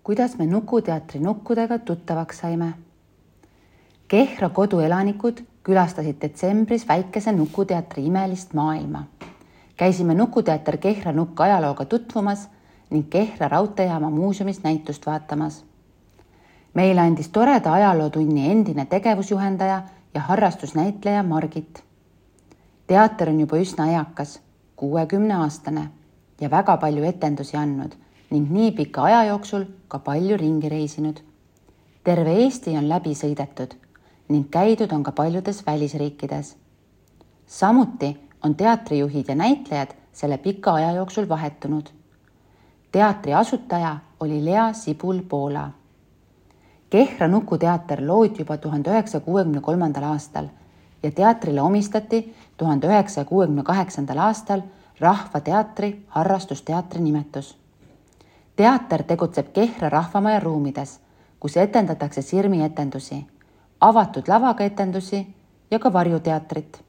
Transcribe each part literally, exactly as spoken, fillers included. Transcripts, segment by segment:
kuidas me Nukuteatri nukkudega tuttavaks saime? Kehra koduelanikud külastasid detsembris väikese Nukuteatri imelist maailma. Käisime Nukuteater Kehra nukk ajalooga tutvumas ning Kehra raudteejaama muuseumis näitust vaatamas. Meile andis toreda ajalootunni endine tegevusjuhendaja ja harrastusnäitleja Margit. Teater on juba üsna eakas, kuuekümne aastane ja väga palju etendusi andnud ning nii pika aja jooksul ka palju ringi reisinud. Terve Eesti on läbi sõidetud ning käidud on ka paljudes välisriikides. Samuti on teatrijuhid ja näitlejad selle pika aja jooksul vahetunud. Teatri asutaja oli Lea Sibul-Poola. Kehra Nukuteater loodi juba tuhande üheksasaja kuuekümne kolmandal aastal ja teatrile omistati tuhande üheksasaja kuuekümne kaheksandal aastal Rahvateatri harrastusteatri nimetus. Teater tegutseb Kehra rahvamaja ruumides, kus etendatakse sirmietendusi, avatud lavaga etendusi ja ka varjuteatrit.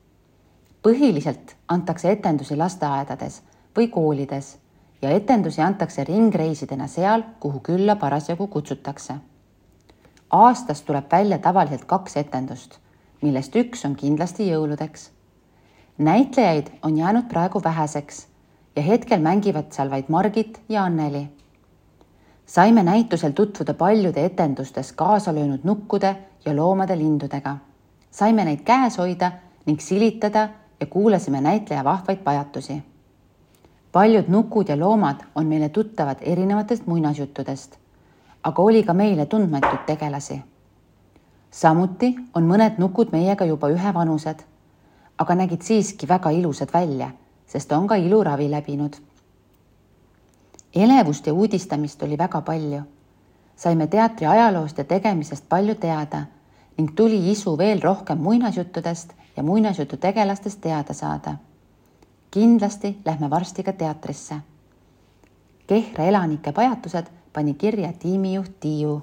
Põhiliselt antakse etendusi lasteaedades või koolides ja etendusi antakse ringreisidena seal, kuhu külla parasjagu kutsutakse. Aastas tuleb välja tavaliselt kaks etendust, millest üks on kindlasti jõuludeks. Näitlejaid on jäänud praegu väheseks ja hetkel mängivad seal vaid Margit ja Anneli. Saime näitusel tutvuda paljude etendustes kaasa löönud nukkude ja loomade lindudega. Saime neid käes hoida ning silitada ja kuulasime näitleja vahvaid pajatusi. Paljud nukud ja loomad on meile tuttavad erinevatest muinasjuttudest, aga oli ka meile tundmatud tegelasi. Samuti on mõned nukud meiega juba ühevanused, aga nägid siiski väga ilusad välja, sest on ka iluravi läbinud. Elevust ja uudistamist oli väga palju. Saime teatri ajaloost ja tegemisest palju teada ning tuli isu veel rohkem muinasjuttudest ja muinasjutu tegelastest teada saada. Kindlasti lähme varsti ka teatrisse. Kehra elanike pajatused pani kirja tiimijuht Tiiu.